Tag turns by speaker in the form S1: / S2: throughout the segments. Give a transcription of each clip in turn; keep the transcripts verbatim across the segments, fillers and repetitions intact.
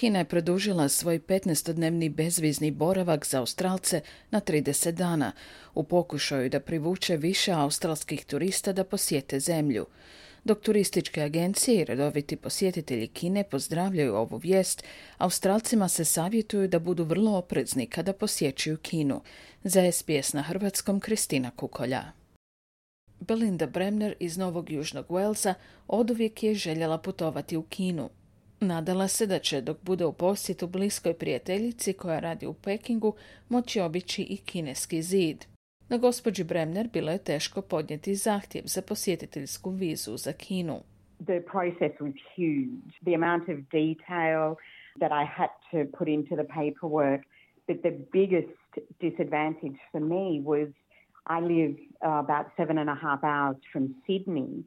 S1: Kina je produžila svoj petnaestodnevni bezvizni boravak za Australce na trideset dana u pokušaju da privuče više australskih turista da posjete zemlju. Dok turističke agencije i redoviti posjetitelji Kine pozdravljaju ovu vijest, Australcima se savjetuju da budu vrlo oprezni kada posjećuju Kinu. Za S B S na hrvatskom Kristina Kukolja. Belinda Bremner iz Novog Južnog Walesa oduvijek je željela putovati u Kinu. Nadala se da će, dok bude u posjetu bliskoj prijateljici koja radi u Pekingu, moći obići i kineski zid. No gospođi Bremner bilo je teško podnijeti zahtjev za posjetiteljsku vizu za Kinu.
S2: The process was huge. The amount of detail that I had to put into the paperwork, but the biggest disadvantage for me was I live uh, about seven and a half hours from Sydney.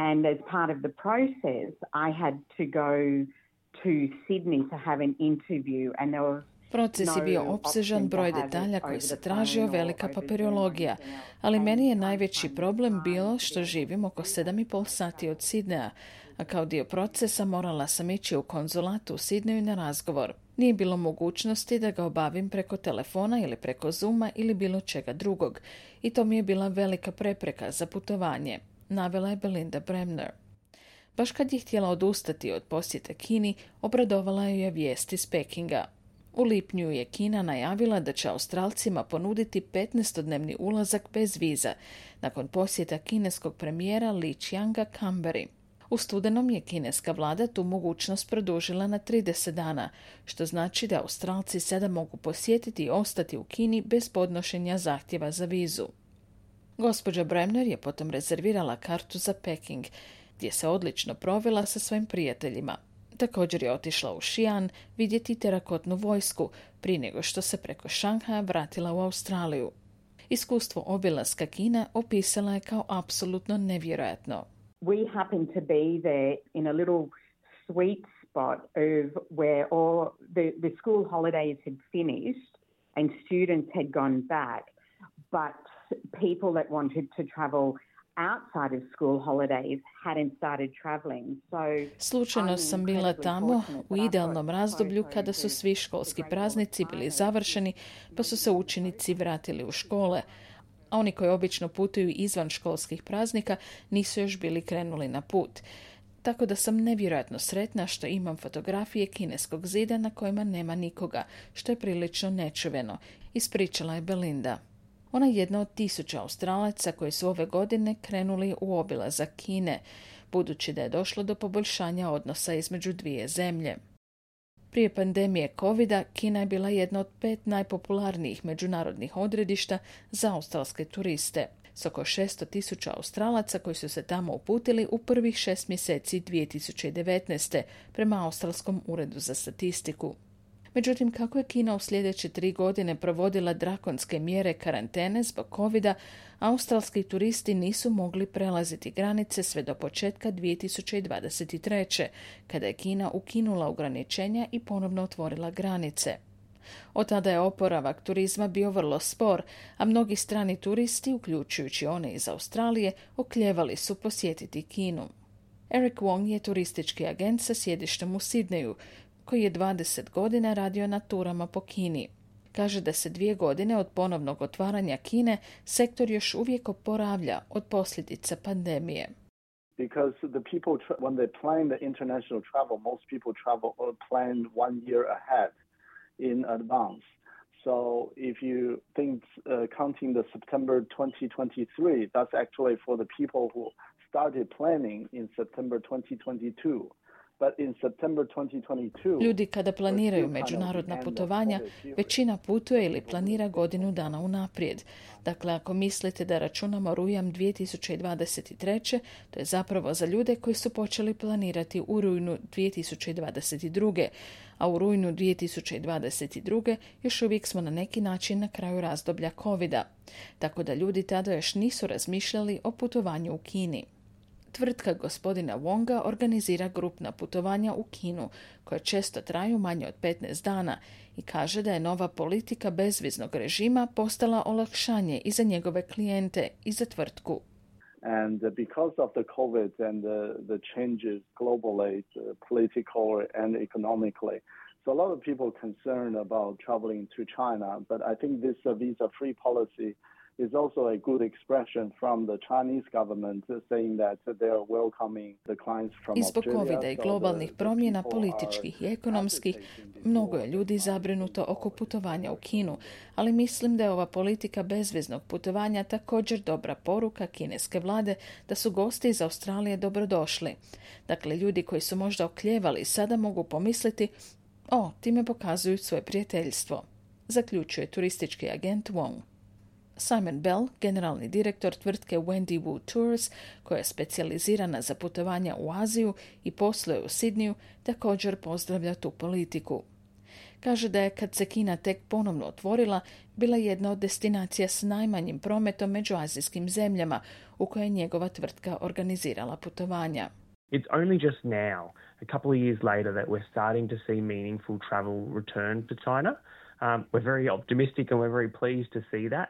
S2: And as part of the process, I had to go to Sydney to have an interview. And there was
S1: Proces je bio opsežan, broj detalja koji se tražio, velika papirologija, ali meni je najveći problem bilo što živim oko sedam i pol sati od Sidneja, a kao dio procesa morala sam ići u konzulat u Sidneju na razgovor. Nije bilo mogućnosti da ga obavim preko telefona ili preko Zooma ili bilo čega drugog i to mi je bila velika prepreka za putovanje, navela je Belinda Bremner. Baš kad je htjela odustati od posjete Kini, obradovala ju je vijest iz Pekinga. U lipnju je Kina najavila da će Australcima ponuditi petnaestodnevni ulazak bez viza, nakon posjeta kineskog premijera Li Qianga Canberri. U studenom je kineska vlada tu mogućnost produžila na trideset dana, što znači da Australci sada mogu posjetiti i ostati u Kini bez podnošenja zahtjeva za vizu. Gospođa Bremner je potom rezervirala kartu za Peking, gdje se odlično provela sa svojim prijateljima. Također je otišla u Xi'an vidjeti terakotnu vojsku prije nego što se preko Šanghaja vratila u Australiju. Iskustvo obilaska Kine opisala je kao apsolutno nevjerojatno.
S2: We happened to be there in a little sweet spot of where all the, the school holidays had finished and students had gone back, but people that wanted to travel outside of school holidays hadn't started traveling. So
S1: Slučajno sam bila tamo u idealnom razdoblju kada su svi školski praznici bili završeni, pa su se učenici vratili u škole, a oni koji obično putuju izvan školskih praznika nisu još bili krenuli na put. Tako da sam nevjerojatno sretna što imam fotografije kineskog zida na kojima nema nikoga, što je prilično nečuveno, ispričala je Belinda. Ona je jedna od tisuća Australaca koji su ove godine krenuli u obilazak Kine, budući da je došlo do poboljšanja odnosa između dvije zemlje. Prije pandemije covida, Kina je bila jedna od pet najpopularnijih međunarodnih odredišta za australske turiste, s oko šesto tisuća Australaca koji su se tamo uputili u prvih šest mjeseci dvije tisuće devetnaeste prema Australskom uredu za statistiku. Međutim, kako je Kina u sljedeće tri godine provodila drakonske mjere karantene zbog covida, australski turisti nisu mogli prelaziti granice sve do početka dvije tisuće dvadeset treće. kada je Kina ukinula ograničenja i ponovno otvorila granice. Od tada je oporavak turizma bio vrlo spor, a mnogi strani turisti, uključujući one iz Australije, oklijevali su posjetiti Kinu. Eric Wong je turistički agent sa sjedištem u Sidneju, koji je dvadeset godina radio na turama po Kini. Kaže da se dvije godine od ponovnog otvaranja Kine sektor još uvijek oporavlja od posljedica pandemije.
S3: Because the people, tra- when they plan the international travel, most people travel or plan one year ahead in advance. So if you think uh, counting the September twenty twenty-three, that's actually for the people who started planning in September twenty twenty-two.
S1: Ljudi kada planiraju međunarodna putovanja, većina putuje ili planira godinu dana unaprijed. Dakle, ako mislite da računamo rujan dvije tisuće dvadeset treće, to je zapravo za ljude koji su počeli planirati u rujnu dvije tisuće dvadeset druge. A u rujnu dvije tisuće dvadeset druge još uvijek smo na neki način na kraju razdoblja covida. Tako da ljudi tada još nisu razmišljali o putovanju u Kini. Tvrtka gospodina Wonga organizira grupna putovanja u Kinu, koje često traju manje od petnaest dana i kaže da je nova politika bezviznog režima postala olakšanje i za njegove klijente i za tvrtku.
S3: And because of the COVID and the, the changes globally, uh, political and economically, So a lot of people are concerned about traveling to China, but I think this uh, visa-free policy is also a good expression from the Chinese government saying that they are welcoming the clients from
S1: I zbog
S3: Australia.
S1: covida i globalnih promjena političkih i ekonomskih, mnogo je ljudi zabrinuto oko putovanja u Kinu, ali mislim da je ova politika bezviznog putovanja također dobra poruka kineske vlade da su gosti iz Australije dobrodošli. Dakle, ljudi koji su možda oklijevali sada mogu pomisliti, o, time pokazuju svoje prijateljstvo, zaključuje turistički agent Wong. Simon Bell, generalni direktor tvrtke Wendy Wu Tours, koja je specijalizirana za putovanja u Aziju i posluje u Sidniju, također pozdravlja tu politiku. Kaže da je, kad se Kina tek ponovno otvorila, bila jedna od destinacija s najmanjim prometom među azijskim zemljama, u kojoj je njegova tvrtka organizirala putovanja.
S4: It's only just now, a couple of years later, that we're starting to see meaningful travel return to China. Um, we're very optimistic and we're very pleased to see that.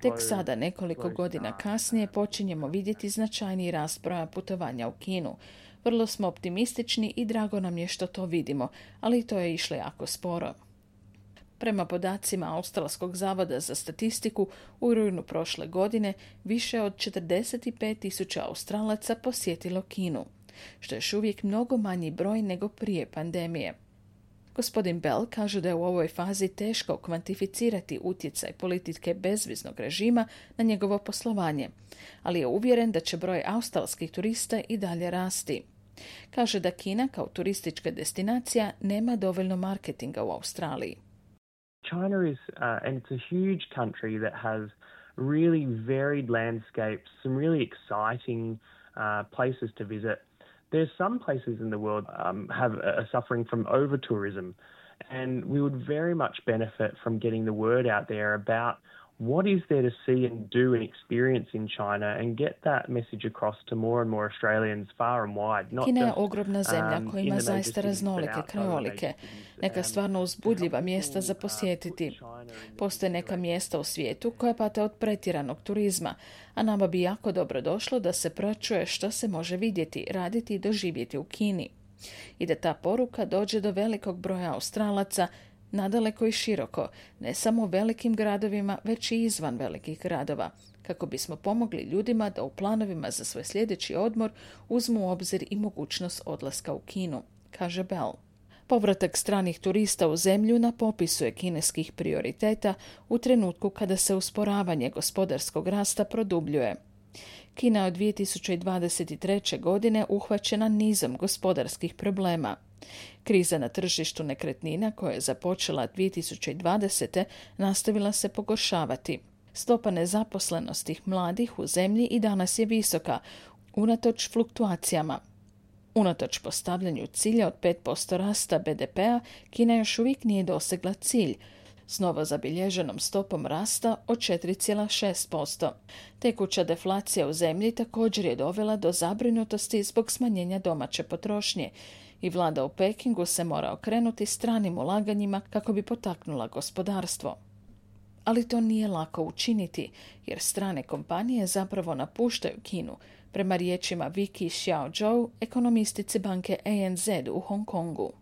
S1: Tek sada, nekoliko godina kasnije, počinjemo vidjeti značajniji rast broja putovanja u Kinu. Vrlo smo optimistični i drago nam je što to vidimo, ali to je išlo jako sporo. Prema podacima Australskog zavoda za statistiku, u rujnu prošle godine više od četrdeset pet tisuća Australaca posjetilo Kinu, što je još uvijek mnogo manji broj nego prije pandemije. Gospodin Bell kaže da je u ovoj fazi teško kvantificirati utjecaj politike bezviznog režima na njegovo poslovanje, ali je uvjeren da će broj australskih turista i dalje rasti. Kaže da Kina kao turistička destinacija nema dovoljno marketinga u Australiji.
S4: China is, uh, and it's a huge country that has really varied landscapes, some really exciting uh, places to visit. There's some places in the world um, have are suffering from over-tourism, and we would very much benefit from getting the word out there about what is there to see and do and experience in China and get that message across to more and more Australians far and wide. Not
S1: Kina je
S4: just,
S1: ogromna zemlja koja ima
S4: um,
S1: zaista raznolike krajolike, neka stvarno uzbudljiva mjesta za posjetiti. Postoje neka mjesta u svijetu koja pate od pretjeranog turizma, a nama bi jako dobro došlo da se pročuje što se može vidjeti, raditi i doživjeti u Kini. I da ta poruka dođe do velikog broja Australaca, nadaleko i široko, ne samo u velikim gradovima, već i izvan velikih gradova, kako bismo pomogli ljudima da u planovima za svoj sljedeći odmor uzmu u obzir i mogućnost odlaska u Kinu, kaže Bell. Povratak stranih turista u zemlju na popisu je kineskih prioriteta u trenutku kada se usporavanje gospodarskog rasta produbljuje. Kina je od dvije tisuće dvadeset treće. godine uhvaćena nizom gospodarskih problema. Kriza na tržištu nekretnina koja je započela dvije tisuće dvadesete. nastavila se pogoršavati. Stopa nezaposlenosti mladih u zemlji i danas je visoka, unatoč fluktuacijama. Unatoč postavljanju cilja od pet posto rasta be de pea, Kina još uvijek nije dosegla cilj, s novo zabilježenom stopom rasta od četiri zarez šest posto. Tekuća deflacija u zemlji također je dovela do zabrinutosti zbog smanjenja domaće potrošnje i vlada u Pekingu se mora okrenuti stranim ulaganjima kako bi potaknula gospodarstvo. Ali to nije lako učiniti, jer strane kompanije zapravo napuštaju Kinu, prema riječima Vicky Xiaozhou, ekonomistice banke A N Z u Hong Kongu.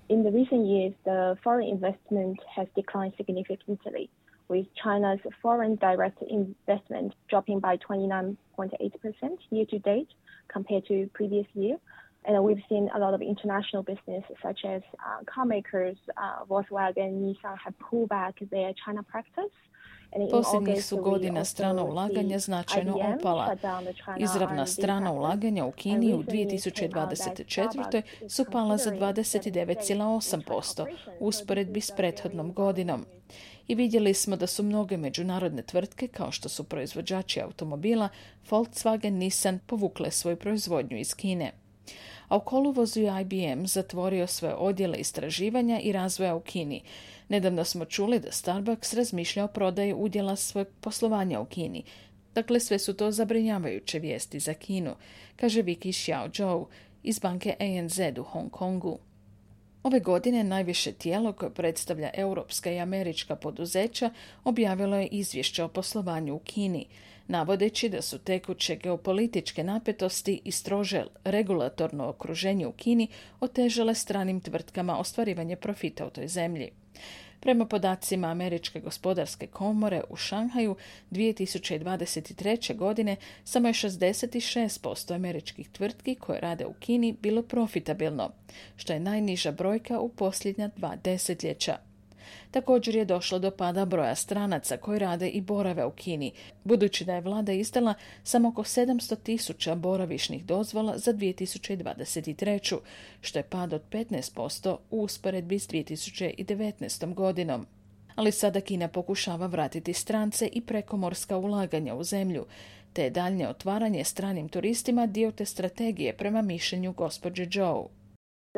S5: In the recent years, the foreign investment has declined significantly, with China's foreign direct investment dropping by twenty-nine point eight percent year to date compared to previous year. And we've seen a lot of international business, such as uh, car makers, uh, Volkswagen, Nissan, have pulled back their China practice.
S1: Posljednjih su godina strana ulaganja značajno opala. Izravna strana ulaganja u Kini u dvije tisuće dvadeset četvrtoj. su pala za dvadeset devet zarez osam posto u usporedbi s prethodnom godinom. I vidjeli smo da su mnoge međunarodne tvrtke, kao što su proizvođači automobila, Volkswagen, Nissan, povukle svoju proizvodnju iz Kine. A u kolovozu je I B M zatvorio svoje odjele istraživanja i razvoja u Kini. Nedavno smo čuli da Starbucks razmišlja o prodaji udjela svojeg poslovanja u Kini. Dakle, sve su to zabrinjavajuće vijesti za Kinu, kaže Vicky Xiaozhou iz banke A N Z u Hong Kongu. Ove godine najviše tijelo koje predstavlja europska i američka poduzeća objavilo je izvješće o poslovanju u Kini. navodeći da su tekuće geopolitičke napetosti i strože regulatorno okruženje u Kini otežale stranim tvrtkama ostvarivanje profita u toj zemlji. Prema podacima Američke gospodarske komore u Šanghaju dvije tisuće dvadeset treće. godine samo je šezdeset šest posto američkih tvrtki koje rade u Kini bilo profitabilno, što je najniža brojka u posljednja dva desetljeća. Također je došlo do pada broja stranaca koji rade i borave u Kini, budući da je vlada izdala samo oko sedamsto tisuća boravišnih dozvola za dvije tisuće dvadeset treću. što je pad od petnaest posto u usporedbi s dvije tisuće devetnaestom. godinom. Ali sada Kina pokušava vratiti strance i prekomorska ulaganja u zemlju, te je daljnje otvaranje stranim turistima dio te strategije prema mišljenju gospođe Zhou.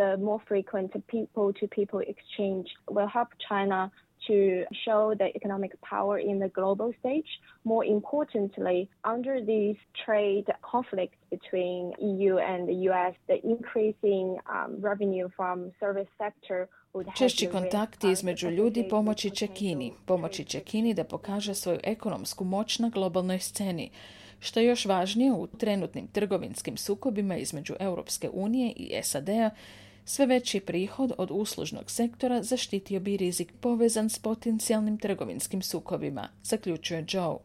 S5: The more frequent people-to-people exchange will help China to show the economic power in the global stage. More importantly, under these trade conflicts between E U and the U S, the increasing um, revenue from service sector would have
S1: Češći kontakti između ljudi pomoći će Kini. Pomoći će Kini da pokaže svoju ekonomsku moć na globalnoj sceni. Što je još važnije u trenutnim trgovinskim sukobima između Europske unije i S A D-a, sve veći prihod od uslužnog sektora zaštitio bi rizik povezan s potencijalnim trgovinskim sukobima, zaključuje Zhou.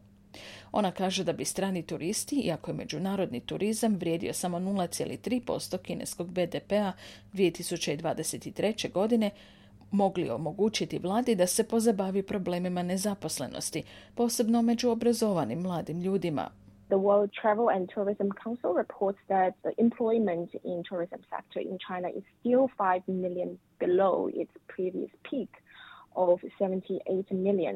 S1: Ona kaže da bi strani turisti, iako je međunarodni turizam vrijedio samo nula zarez tri posto kineskog B D P-a dvije tisuće dvadeset treće. godine, mogli omogućiti vladi da se pozabavi problemima nezaposlenosti, posebno među obrazovanim mladim ljudima.
S5: The World Travel and Tourism Council reports that the employment in tourism sector in China is still five million below its previous peak of seventy-eight million.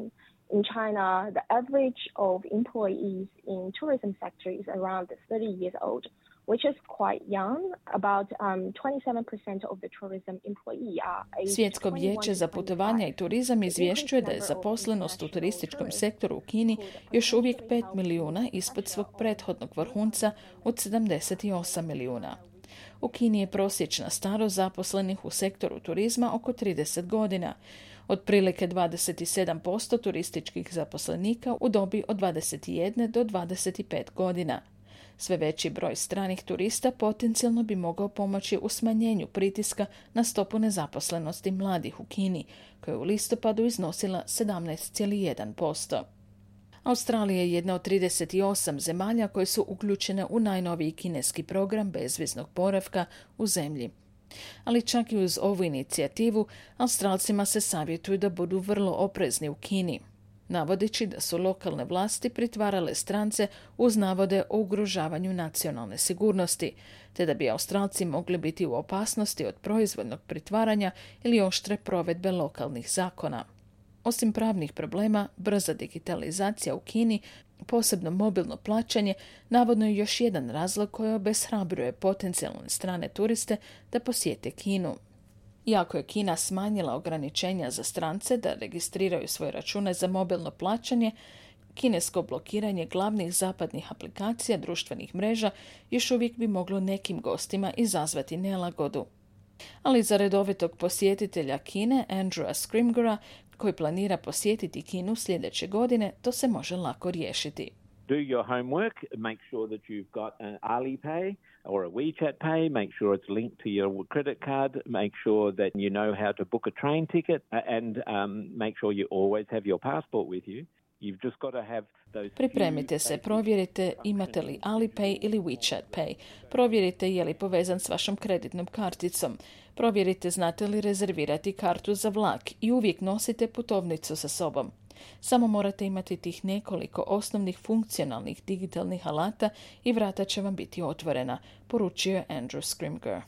S5: In China, the average of employees in tourism sector is around thirty years old, which is quite young. About um, twenty-seven percent of the tourism employees are aged
S1: Svjetsko vijeće za putovanja i turizam izvješćuje da je zaposlenost u turističkom sektoru u Kini još uvijek pet milijuna ispod svog prethodnog vrhunca od sedamdeset osam milijuna. U Kini je prosječna starost zaposlenih u sektoru turizma oko trideset godina. Otprilike dvadeset sedam posto turističkih zaposlenika u dobi od dvadeset jedne do dvadeset pet godina. Sve veći broj stranih turista potencijalno bi mogao pomoći u smanjenju pritiska na stopu nezaposlenosti mladih u Kini, koja je u listopadu iznosila sedamnaest zarez jedan posto. Australija je jedna od trideset osam zemalja koje su uključene u najnoviji kineski program bezviznog boravka u zemlji. Ali čak i uz ovu inicijativu, Australcima se savjetuju da budu vrlo oprezni u Kini, navodeći da su lokalne vlasti pritvarale strance uz navode o ugrožavanju nacionalne sigurnosti, te da bi Australci mogli biti u opasnosti od proizvoljnog pritvaranja ili oštre provedbe lokalnih zakona. Osim pravnih problema, brza digitalizacija u Kini, posebno mobilno plaćanje, navodno je još jedan razlog koji obeshrabruje potencijalne strane turiste da posjete Kinu. Iako je Kina smanjila ograničenja za strance da registriraju svoje račune za mobilno plaćanje, kinesko blokiranje glavnih zapadnih aplikacija društvenih mreža još uvijek bi moglo nekim gostima izazvati nelagodu. Ali za redovitog posjetitelja Kine, Andrewa Scrimgera, koji planira posjetiti Kinu sljedeće godine, to se može lako riješiti.
S6: Do your homework, make sure that you've got an Alipay or a WeChat Pay, make sure it's linked to your credit card, make sure that you know how to book a train ticket, and um, make sure you always have your passport with you. You've just got to have those.
S1: Pripremite se, provjerite imate li Alipay ili WeChat Pay. Provjerite je li povezan s vašom kreditnom karticom. Provjerite znate li rezervirati kartu za vlak i uvijek nosite putovnicu sa sobom. Samo morate imati tih nekoliko osnovnih funkcionalnih digitalnih alata i vrata će vam biti otvorena, poručio je Andrew Scrimger.